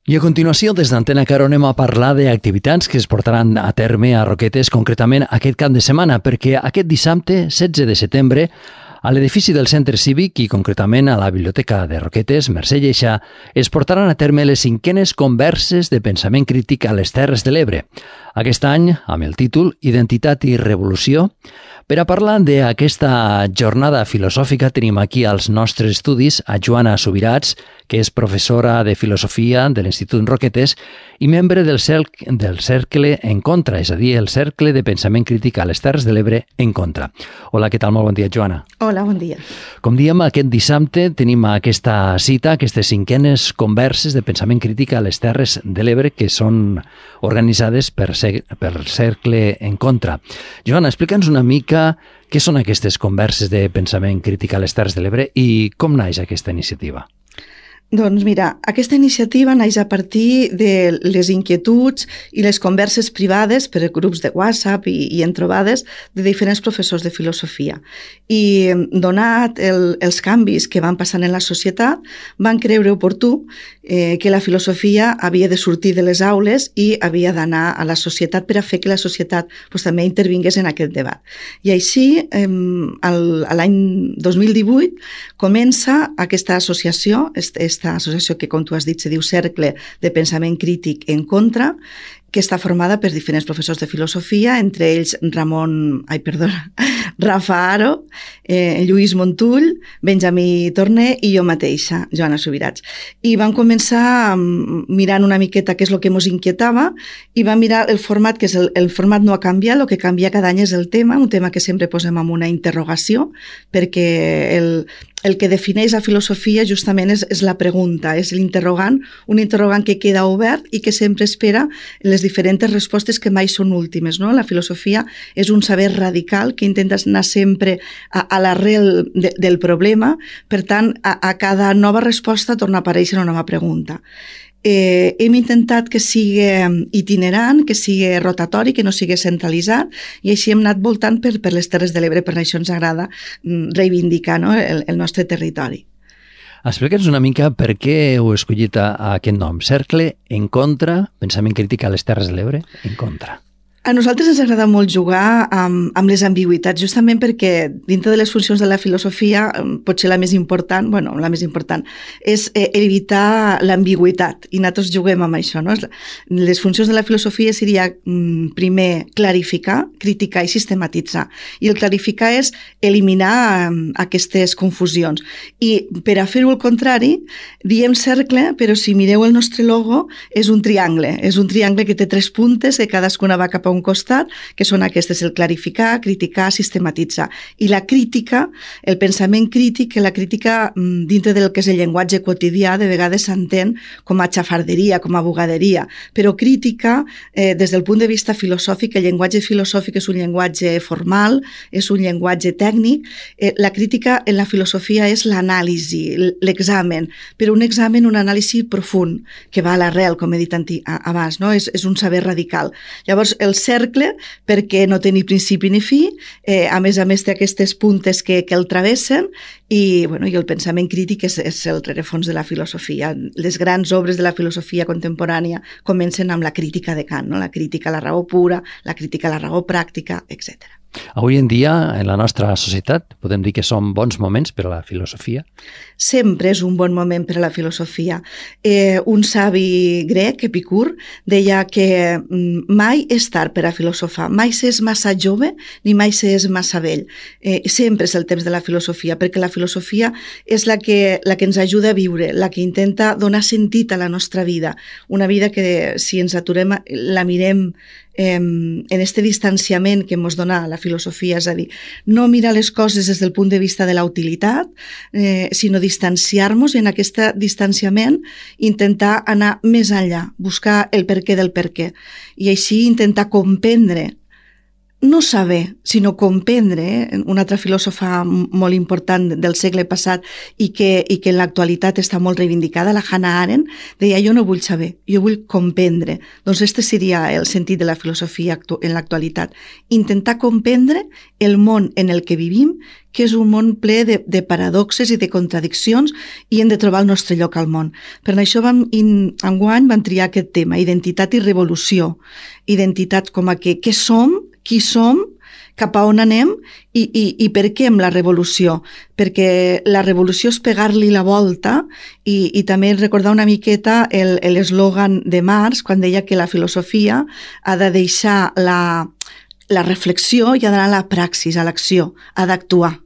I a continuació, des d'Antena Caro, anem a parlar d'activitats que es portaran a terme a Roquetes, concretament aquest cap de setmana, perquè aquest dissabte, 16 de setembre, a l'edifici del Centre Cívic i concretament a la Biblioteca de Roquetes, Mercè Lleixa, es portaran a terme les 5enes converses de pensament crític a les Terres de l'Ebre. Aquest any, amb el títol Identitat i Revolució. Per a parlar d'aquesta jornada filosòfica tenim aquí als nostres estudis a Joana Subirats, que és professora de Filosofia de l'Institut Roquetes i membre del Cercle en Contra, és a dir, el Cercle de Pensament Crític a les Terres de l'Ebre en Contra. Hola, què tal? Molt bon dia, Joana. Hola, bon dia. Com diem, aquest dissabte tenim aquesta cita, aquestes 5enes converses de pensament crític a les Terres de l'Ebre que són organitzades per Cercle en Contra. Joana, explica'ns una mica què són aquestes converses de pensament crític a les Terres de l'Ebre i com naix aquesta iniciativa. Doncs mira, aquesta iniciativa naix a partir de les inquietuds i les converses privades per grups de WhatsApp i en trobades de diferents professors de filosofia. I donat els canvis que van passant en la societat, van creure oportú que la filosofia havia de sortir de les aules i havia d'anar a la societat per a fer que la societat també intervingués en aquest debat. I així, l'any 2018, comença aquesta associació, aquesta associació que, com tu has dit, se diu Cercle de Pensament Crític en Contra, que està formada per diferents professors de filosofia, entre ells Rafa Aro, Lluís Montull, Benjamí Torné i jo mateixa, Joana Subirats. I vam començar mirant una miqueta què és el que ens inquietava i vam mirar el format, que és el format no ha canviat, el que canvia cada any és el tema, un tema que sempre posem amb una interrogació, perquè el que defineix la filosofia justament és la pregunta, és l'interrogant, un interrogant que queda obert i que sempre espera les diferents respostes que mai són últimes, no? La filosofia és un saber radical que intenta anar sempre a l'arrel del problema, per tant, a cada nova resposta torna a aparèixer una nova pregunta. Hem intentat que sigui itinerant, que sigui rotatori, que no sigui centralitzat, i així hem anat voltant per les Terres de l'Ebre, per això ens agrada reivindicar, no, el nostre territori. Explica'ns una mica per què heu escollit aquest nom, Cercle en Contra, pensament crític a les Terres de l'Ebre, en contra. A nosaltres ens agrada molt jugar amb les ambigüitats, justament perquè dintre de les funcions de la filosofia, potser la més important, és evitar l'ambigüitat, i nosaltres juguem amb això, no? Les funcions de la filosofia seria, primer, clarificar, criticar i sistematitzar. I el clarificar és eliminar aquestes confusions. I per a fer-ho al contrari, diem cercle, però si mireu el nostre logo, és un triangle que té 3 puntes, que cadascuna va cap a un costat, que són aquestes, el clarificar, criticar, sistematitzar. I la crítica, el pensament crític, que la crítica dintre del que és el llenguatge quotidià de vegades s'entén com a xafarderia, com a bugaderia, però crítica, des del punt de vista filosòfic, el llenguatge filosòfic és un llenguatge formal, és un llenguatge tècnic. La crítica en la filosofia és l'anàlisi, l'examen, però un examen, un anàlisi profund, que va a l'arrel, com he dit abans, no? És un saber radical. Llavors, el cercle, perquè no té ni principi ni fi, a més té aquestes puntes que el travessen, i el pensament crític és el rerefons de la filosofia. Les grans obres de la filosofia contemporània comencen amb la crítica de Kant, no? La crítica a la raó pura, la crítica a la raó pràctica, etc. Avui en dia, en la nostra societat, podem dir que són bons moments per a la filosofia? Sempre és un bon moment per a la filosofia. Un savi grec, Epicur, deia que mai és tard per a filosofar, mai s'és massa jove ni mai s'és massa vell. Sempre és el temps de la filosofia, perquè la filosofia és la que ens ajuda a viure, la que intenta donar sentit a la nostra vida. Una vida que, si ens aturem, la mirem en este distanciament que ens dona la filosofia, és a dir, no mirar les coses des del punt de vista de la utilitat, sinó distanciar-nos, i en aquest distanciament intentar anar més enllà, buscar el perquè del perquè, i així intentar comprendre no saber, sinó comprendre, un altre filòsofa molt important del segle passat i que en l'actualitat està molt reivindicada, la Hannah Arendt, deia jo no vull saber, jo vull comprendre. Doncs este seria el sentit de la filosofia en l'actualitat. Intentar comprendre el món en el que vivim, que és un món ple de paradoxes i de contradiccions i hem de trobar el nostre lloc al món. Per això enguany vam triar aquest tema, identitat i revolució. Identitat com a què som, qui som, cap a on anem i per què amb la revolució. Perquè la revolució és pegar-li la volta i també recordar una miqueta l'eslògan de Marx quan deia que la filosofia ha de deixar la reflexió i ha d'anar a la praxis, a l'acció, ha d'actuar.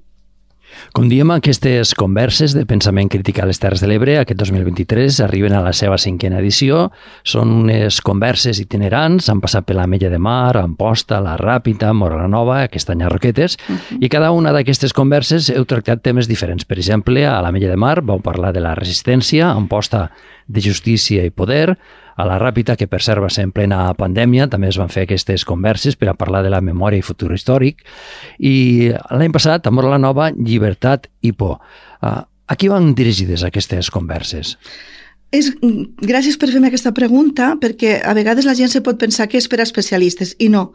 Com diem, aquestes converses de pensament crític a les Terres de l'Ebre aquest 2023 arriben a la seva 5a edició. Són unes converses itinerants, han passat per l'Ametlla de Mar, Amposta, la Ràpita, Móra la Nova, aquest any a Roquetes, i cada una d'aquestes converses heu tractat temes diferents. Per exemple, a l'Ametlla de Mar vau parlar de la resistència, a Amposta de justícia i poder, a la Ràpita, que per cert va ser en plena pandèmia, també es van fer aquestes converses per a parlar de la memòria i futur històric. I l'any passat, a Móra la Nova, llibertat i por. A qui van dirigides aquestes converses? Gràcies per fer-me aquesta pregunta, perquè a vegades la gent se pot pensar que és per a especialistes, i no.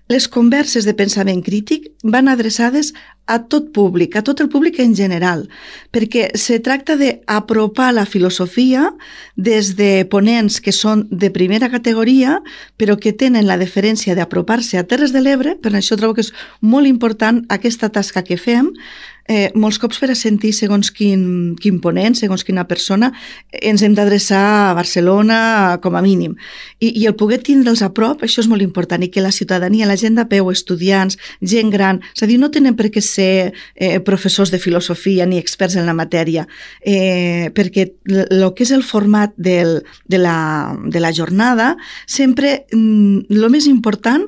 Les converses de pensament crític van adreçades a tot públic, a tot el públic en general, perquè se tracta d'apropar la filosofia des de ponents que són de primera categoria, però que tenen la deferència d'apropar-se a Terres de l'Ebre. Per això trobo que és molt important aquesta tasca que fem, molts cops per a sentir segons quin ponent, segons quina persona, ens hem d'adreçar a Barcelona com a mínim. I el poder tindre'ls a prop, això és molt important, i que la ciutadania, la gent de peu, estudiants, gent gran, és a dir, no tenen per què ser professors de filosofia ni experts en la matèria, perquè el que és el format de la jornada, sempre el més important,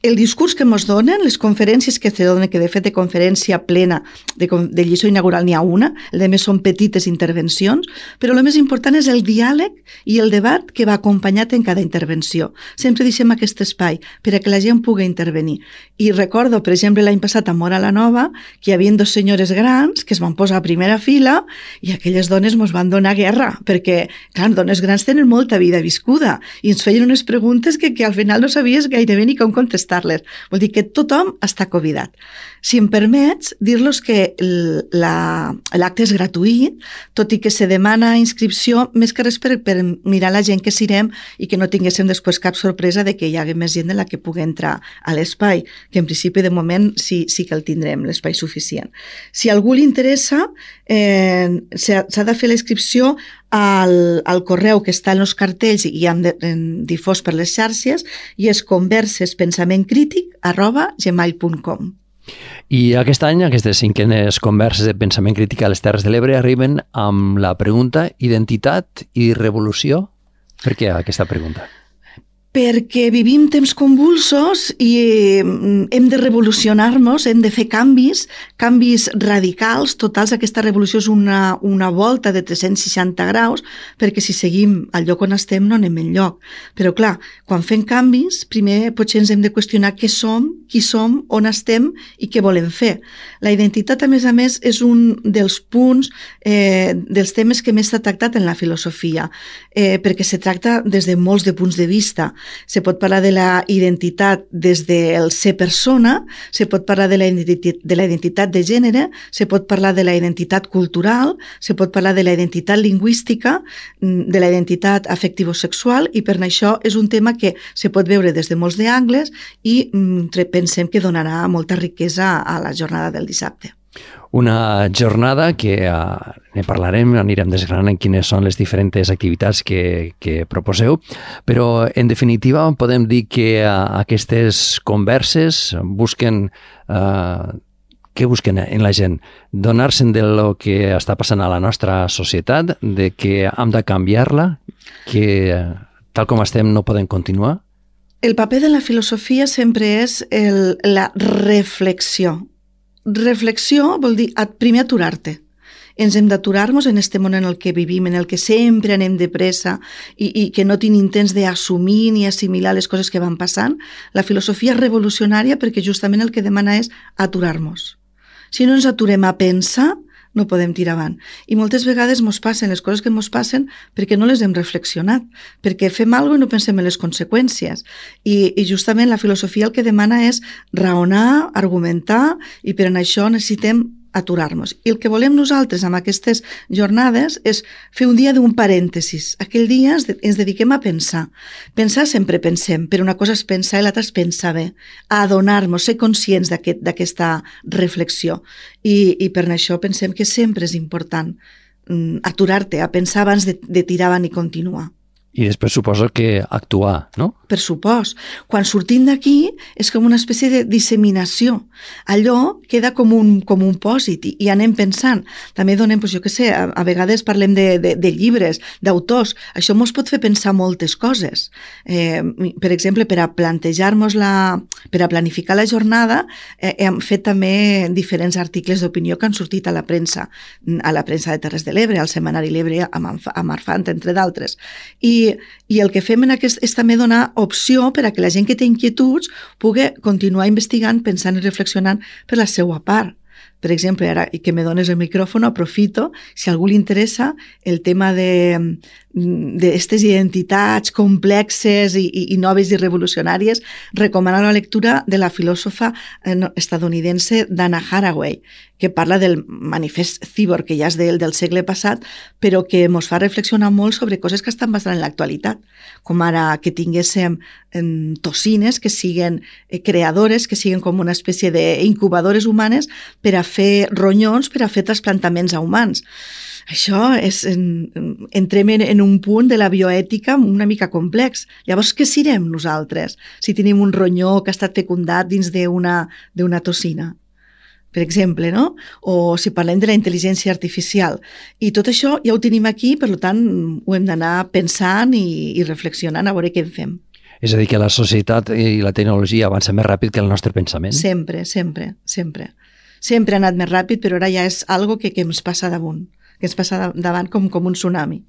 el discurs que ens donen, les conferències que se donen, que de fet de conferència plena, de lliçó inaugural n'hi ha una, el de més són petites intervencions, però el més important és el diàleg i el debat que va acompanyat en cada intervenció. Sempre deixem aquest espai per a que la gent pugui intervenir. I recordo, per exemple, l'any passat a Móra la Nova, que hi havia 2 senyores grans que es van posar a primera fila i aquelles dones ens van donar guerra, perquè, clar, dones grans tenen molta vida viscuda i ens feien unes preguntes que al final no sabies gairebé ni com contestar. Vol dir que tothom està convidat. Si em permets, dir-los que l'acte és gratuït, tot i que se demana inscripció, més que res per mirar la gent que serem i que no tinguéssim després cap sorpresa de que hi hagi més gent de la que pugui entrar a l'espai, que en principi de moment sí que el tindrem, l'espai suficient. Si a algú li interessa, s'ha de fer la inscripció al correu que està en els cartells i hem difós per les xarxes, i és conversespensamenttcrític@gmail.com. I aquest any, aquestes 5enes converses de pensament crític a les Terres de l'Ebre arriben amb la pregunta identitat i revolució. Per què aquesta pregunta? Perquè vivim temps convulsos i hem de revolucionar-nos, hem de fer canvis radicals, totals. Aquesta revolució és una volta de 360 graus, perquè si seguim al lloc on estem no anem enlloc. Però clar, quan fem canvis, primer potser ens hem de qüestionar què som, qui som, on estem i què volem fer. La identitat, a més, és un dels punts, dels temes que més s'ha tractat en la filosofia, perquè se tracta des de molts de punts de vista. Se pot parlar de la identitat des del ser persona, se pot parlar de la identitat de gènere, se pot parlar de la identitat cultural, se pot parlar de la identitat lingüística, de la identitat afectivo-sexual, i per això és un tema que se pot veure des de molts angles i pensem que donarà molta riquesa a la jornada del dissabte. Una jornada que ne parlarem, anirem desgranant quines són les diferents activitats que proposeu, però en definitiva podem dir que aquestes converses busquen, què busquen en la gent? Donar-se'n del que està passant a la nostra societat, de que hem de canviar-la, que tal com estem no podem continuar? El paper de la filosofia sempre és la reflexió. Reflexió vol dir primer aturar-te ens hem d'aturar-nos en este món en el que vivim, en el que sempre anem de pressa i que no tenim temps d'assumir ni assimilar les coses que van passant. La filosofia és revolucionària perquè justament el que demana és aturar-nos. Si no ens aturem a pensar, no podem tirar avant. I moltes vegades ens passen les coses que ens passen perquè no les hem reflexionat, perquè fem alguna cosa i no pensem en les conseqüències. I justament la filosofia el que demana és raonar, argumentar, i per això necessitem aturar-nos. I el que volem nosaltres amb aquestes jornades és fer un dia d'un parèntesis. Aquell dia ens dediquem a pensar. Pensar sempre pensem, però una cosa és pensar i l'altra és pensar bé. A adonar-nos, ser conscients d'aquesta reflexió. I per això pensem que sempre és important aturar-te, a pensar abans de tirar avant i continuar. I després suposo que actuar, no? Per supost. Quan sortim d'aquí és com una espècie de disseminació. Allò queda com un pòsit i anem pensant. També donem, jo què sé, a vegades parlem de llibres, d'autors. Això ens pot fer pensar moltes coses. Per exemple, per a plantejar-nos per a planificar la jornada, hem fet també diferents articles d'opinió que han sortit a la premsa de Terres de l'Ebre, al Setmanari l'Ebre, a Marfant, entre d'altres. I el que fem és també donar opció per a que la gent que té inquietuds pugui continuar investigant, pensant i reflexionant per la seva part. Per exemple, ara que me dones el micròfon, aprofito, si a algú li interessa el tema d'aquestes identitats complexes i noves i revolucionàries, recomano la lectura de la filòsofa estadounidense Dana Haraway, que parla del manifest Cyborg, que ja és del segle passat, però que ens fa reflexionar molt sobre coses que estan bastant en l'actualitat, com ara que tinguéssim toxines que siguen creadores, que siguen com una espècie d'incubadores humanes per a fer ronyons, per a fer trasplantaments a humans. Això entrem en un punt de la bioètica una mica complex. Llavors, què serem nosaltres si tenim un ronyó que ha estat fecundat dins d'una toxina? Per exemple, no? O si parlem de la intel·ligència artificial. I tot això ja ho tenim aquí, per tant, ho hem d'anar pensant i reflexionant a veure què en fem. És a dir, que la societat i la tecnologia avança més ràpid que el nostre pensament? Sempre. Sempre ha anat més ràpid, però ara ja és algo que ens passa damunt, que ens passa davant com un tsunami.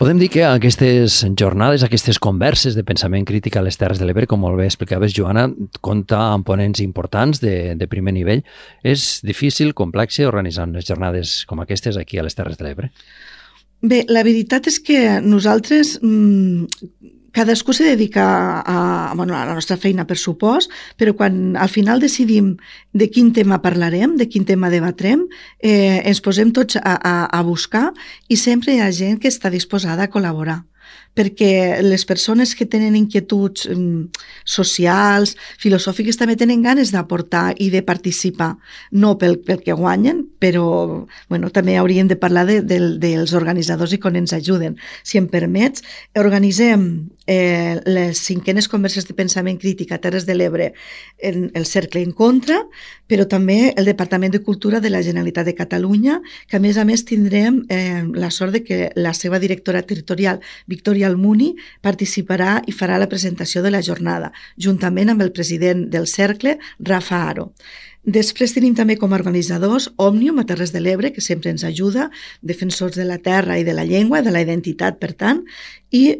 Podem dir que aquestes jornades, aquestes converses de pensament crític a les Terres de l'Ebre, com molt bé explicaves, Joana, compta amb ponents importants de primer nivell. És difícil, complex, organitzar unes jornades com aquestes aquí a les Terres de l'Ebre? Bé, la veritat és que nosaltres... cadascú se dedica a la nostra feina, per supost, però quan al final decidim de quin tema parlarem, de quin tema debatrem, ens posem tots a buscar i sempre hi ha gent que està disposada a col·laborar. Perquè les persones que tenen inquietuds socials, filosòfiques, també tenen ganes d'aportar i de participar, no pel que guanyen, però també hauríem de parlar dels organitzadors i com ens ajuden. Si em permets, organitzem les 5enes converses de pensament crític a Terres de l'Ebre en el Cercle en Contra, però també el Departament de Cultura de la Generalitat de Catalunya, que a més tindrem la sort de que la seva directora territorial, Victòria Almuni, participarà i farà la presentació de la jornada, juntament amb el president del Cercle, Rafa Aro. Després tenim també com a organitzadors Òmnium a Terres de l'Ebre, que sempre ens ajuda, defensors de la terra i de la llengua, de la identitat, per tant, i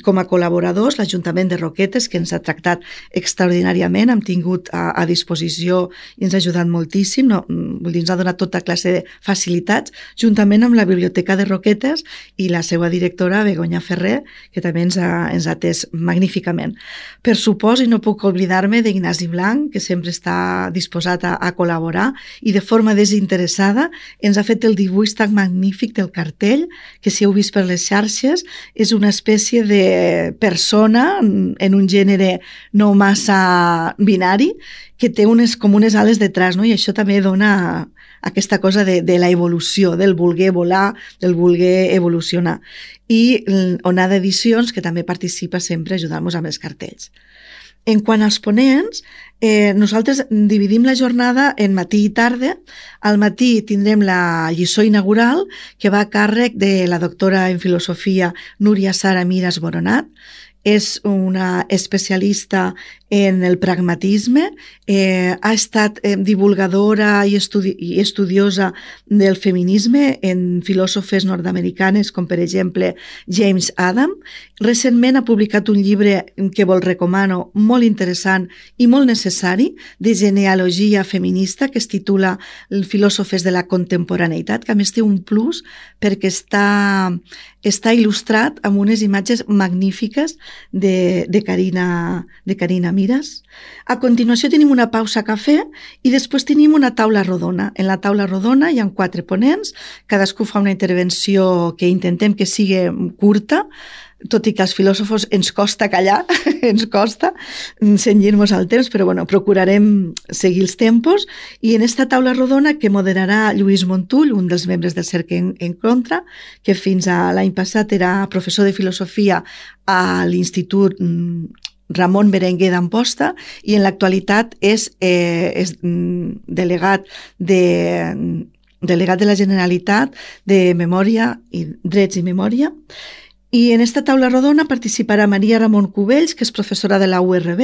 com a col·laboradors l'Ajuntament de Roquetes, que ens ha tractat extraordinàriament, hem tingut a disposició i ens ha ajudat moltíssim, ens ha donat tota classe de facilitats, juntament amb la Biblioteca de Roquetes i la seva directora, Begoña Ferrer, que també ens ha atès magníficament. Per supost, i no puc oblidar-me d'Ignasi Blanc, que sempre està disposat a col·laborar i de forma desinteressada ens ha fet el dibuix tan magnífic del cartell, que si heu vist per les xarxes és una espècie de persona en un gènere no massa binari que té com unes ales detrás, no? I això també dona aquesta cosa de la evolució, del voler volar, del voler evolucionar. I Onada Edicions, que també participa sempre ajudant-nos amb els cartells. En quant als ponents, nosaltres dividim la jornada en matí i tarda. Al matí tindrem la lliçó inaugural, que va a càrrec de la doctora en filosofia Núria Sara Miras Boronat. és una especialista en el pragmatisme, ha estat divulgadora i estudiosa del feminisme en filòsofes nord-americanes com per exemple James Adam. Recentment ha publicat un llibre que vos recomano, molt interessant i molt necessari, de genealogia feminista, que es titula Filòsofes de la contemporaneïtat, que a més té un plus perquè està il·lustrat amb unes imatges magnífiques de Carina Mires. A continuació tenim una pausa cafè i després tenim una taula rodona. En la taula rodona hi ha 4 ponents, cadascú fa una intervenció que intentem que sigui curta, tot i que als filòsofos ens costa callar, ens costa cenyir-nos al temps, però bueno, procurarem seguir els tempos. I en esta taula rodona que moderarà Lluís Montull, un dels membres del Cercle en Contra, que fins a l'any passat era professor de filosofia a l'Institut Ramon Berenguer d'Amposta i en l'actualitat és delegat de la Generalitat de Memòria i Drets i Memòria. I en esta taula rodona participarà Maria Ramon Cubells, que és professora de la URB.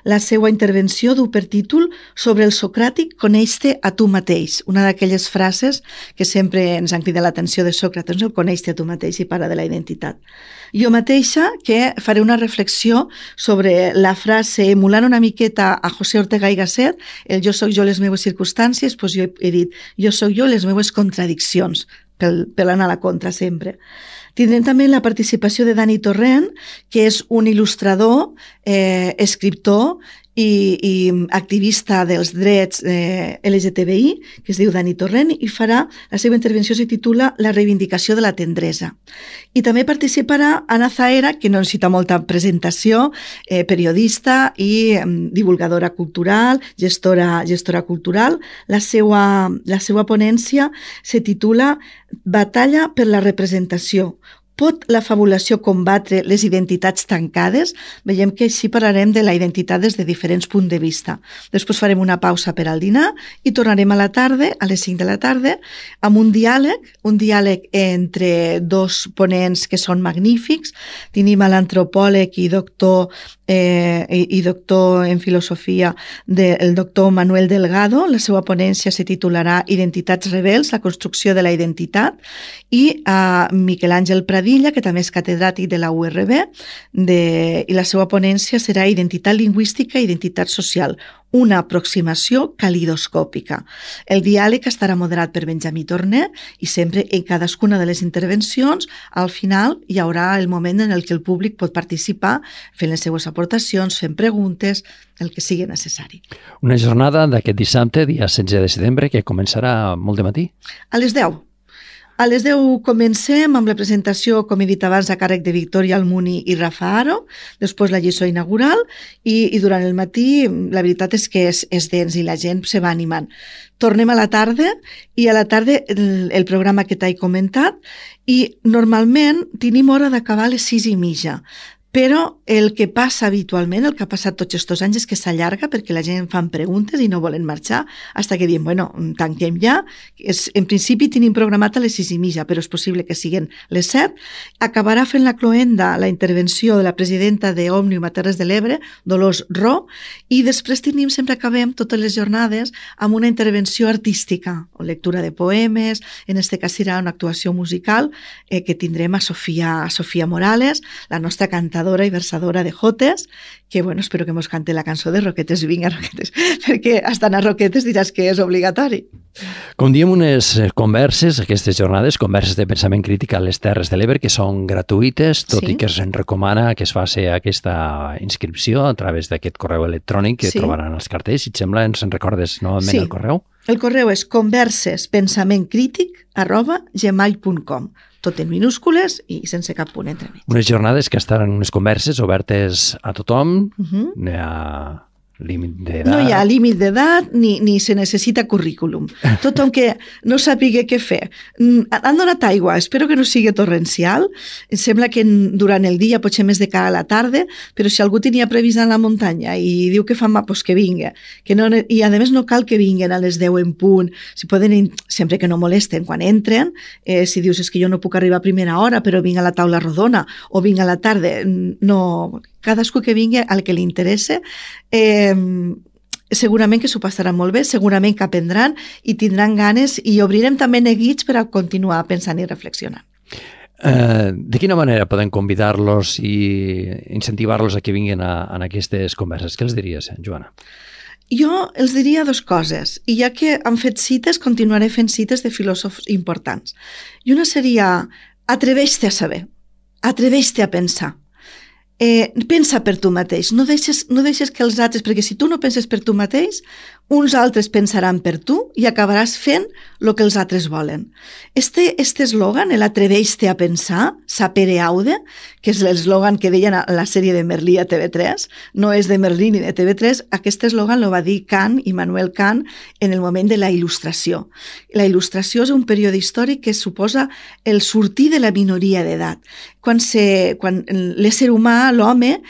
La seva intervenció du per títol Sobre el socràtic, coneix-te a tu mateix. Una d'aquelles frases que sempre ens han cridat l'atenció de Sòcrates, el coneix-te a tu mateix i para de la identitat. Jo mateixa que faré una reflexió sobre la frase, emulant una miqueta a José Ortega i Gasset, el jo soc jo les meves circumstàncies, doncs jo he dit jo soc jo les meves contradiccions, per anar a la contra sempre. Tindrem també la participació de Dani Torrent, que és un il·lustrador, escriptor i activista dels drets LGTBI, que es diu Dani Torrent, i farà, la seva intervenció se titula La reivindicació de la tendresa. I també participarà Anna Zahera, que no necessita molta presentació, periodista i divulgadora cultural, gestora cultural. La seva ponència se titula Batalla per la representació. Pot la fabulació combatre les identitats tancades? Veiem que així parlarem de la identitat des de diferents punts de vista. Després farem una pausa per al dinar i tornarem a la tarda, a les 5 de la tarda, amb un diàleg entre 2 ponents que són magnífics. Tenim a l'antropòleg i doctor en filosofia el doctor Manuel Delgado. La seva ponència se titularà Identitats rebels, la construcció de la identitat, i a Miquel Àngel Pradilla, que també és catedràtic de la URB, i la seva ponència serà Identitat lingüística i identitat social, una aproximació calidoscòpica. El diàleg estarà moderat per Benjamí Torner i sempre en cadascuna de les intervencions, al final hi haurà el moment en el que el públic pot participar fent les seues aportacions, fent preguntes, el que sigui necessari. Una jornada d'aquest dissabte, dia 16 de setembre, que començarà molt de matí? A les 10. A les 10 comencem amb la presentació, com he dit abans, a càrrec de Victòria Almuni i Rafa Aro, després la lliçó inaugural i durant el matí la veritat és que és dens i la gent se va animant. Tornem a la tarda i a la tarda el programa que t'he comentat i normalment tenim hora d'acabar a les 6:30. Però el que passa habitualment, el que ha passat tots aquests anys, és que s'allarga perquè la gent fan preguntes i no volen marxar, fins que diem, bueno, tanquem ja. En principi tenim programat a les 6:30, però és possible que siguin les 7. Acabarà fent la cloenda la intervenció de la presidenta d'Òmnium a Terres de l'Ebre, Dolors Ro, i després sempre acabem totes les jornades amb una intervenció artística, o lectura de poemes, en aquest cas serà una actuació musical que tindrem a Sofia Morales, la nostra cantadora i versadora de jotes, que bueno, espero que mos cante la cançó de Roquetes, vinga Roquetes, perquè hasta anar Roquetes diràs que és obligatori. Com diem, unes converses, aquestes jornades, converses de pensament crític a les Terres de l'Ebre, que són gratuïtes, tot i que es recomana que es faci aquesta inscripció a través d'aquest correu electrònic que trobaran els cartells. Si et sembla, ens en recordes novament el correu? El correu és conversespensamentcrític@gmail.com, tot en minúscules i sense cap punt entremig. Unes jornades que estaran unes converses obertes a tothom, límit d'edat... No hi ha límit d'edat ni se necessita currículum. Tothom que no sàpiga què fer. Han donat aigua, espero que no sigui torrencial. Em sembla que durant el dia, potser més de cara a la tarda, però si algú tenia previst anar a la muntanya i diu que fa mal, doncs que vinga. I a més no cal que vinguen a les 10 en punt. Si poden, sempre que no molesten quan entren, si dius és que jo no puc arribar a primera hora però vinc a la taula rodona o vinc a la tarda, no, cadascú que vingui al que li interessa, segurament que s'ho passarà molt bé, segurament que aprendran i tindran ganes i obrirem també neguits per a continuar pensant i reflexionant. De quina manera podem convidar-los i incentivar-los a que vinguin a aquestes converses? Què els diries, Joana? Jo els diria dues coses, i ja que han fet cites, continuaré fent cites de filòsofs importants. I una seria, atreveix-te a saber, atreveix-te a pensar. Pensa per tu mateix, no deixes que els altres, perquè si tu no penses per tu mateix, uns altres pensaran per tu i acabaràs fent el que els altres volen. Este eslògan, l'atreveix-te a pensar, sapere aude, que és l'eslògan que deien a la sèrie de Merlí a TV3, no és de Merlí ni de TV3, aquest eslògan el va dir Kant, Immanuel Kant, en el moment de la Il·lustració. La Il·lustració és un període històric que suposa el sortir de la minoria d'edat. Quan l'ésser humà, l'home,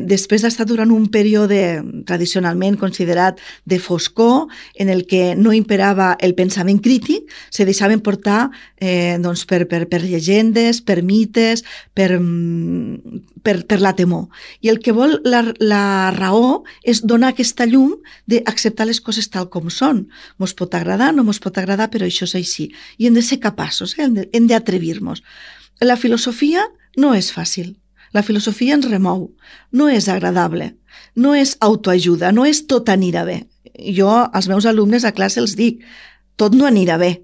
després d'estar durant un període tradicionalment considerat de foscor, en el que no imperava el pensament crític, se deixaven portar per llegendes, per mites, per la temor. I el que vol la raó és donar aquesta llum d'acceptar les coses tal com són. Mos pot agradar, no mos pot agradar, però això és així. I hem de ser capaços, hem d'atrevir-nos. La filosofia no és fàcil. La filosofia ens remou. No és agradable. No és autoajuda. No és tot anirà bé. Jo als meus alumnes a classe els dic, tot no anirà bé.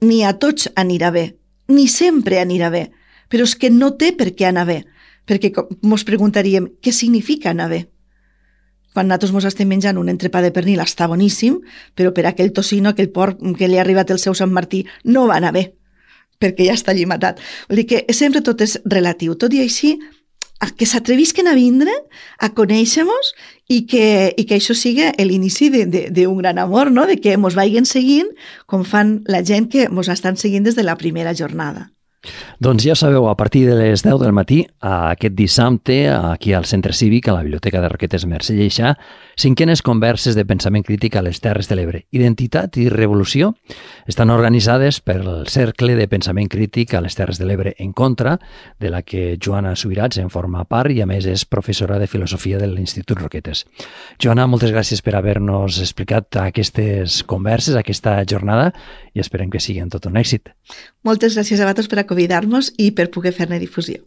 Ni a tots anirà bé. Ni sempre anirà bé. Però és que no té per què anar bé. Perquè mos preguntaríem, què significa anar bé? Quan nosaltres mos estem menjant un entrepà de pernil està boníssim, però per aquell tocino, aquell porc que li ha arribat el seu Sant Martí, no va anar bé, perquè ja està allí matat. Vull dir que sempre tot és relatiu. Tot i així, que s'atrevisquen a vindre, a conèixer-nos i que això sigui l'inici d'un gran amor, no? De que mos vagin seguint com fan la gent que mos estan seguint des de la primera jornada. Doncs ja sabeu, a partir de les 10 del matí, aquest dissabte, aquí al Centre Cívic, a la Biblioteca de Roquetes Mercè Lleixà, 5enes converses de pensament crític a les Terres de l'Ebre. Identitat i revolució estan organitzades pel Cercle de Pensament Crític a les Terres de l'Ebre en contra, de la que Joana Subirats en forma part i a més és professora de filosofia de l'Institut Roquetes. Joana, moltes gràcies per haver-nos explicat aquestes converses, aquesta jornada, i esperem que siguin tot un èxit. Moltes gràcies a vosaltres per convidar-nos i per poder fer-ne difusió.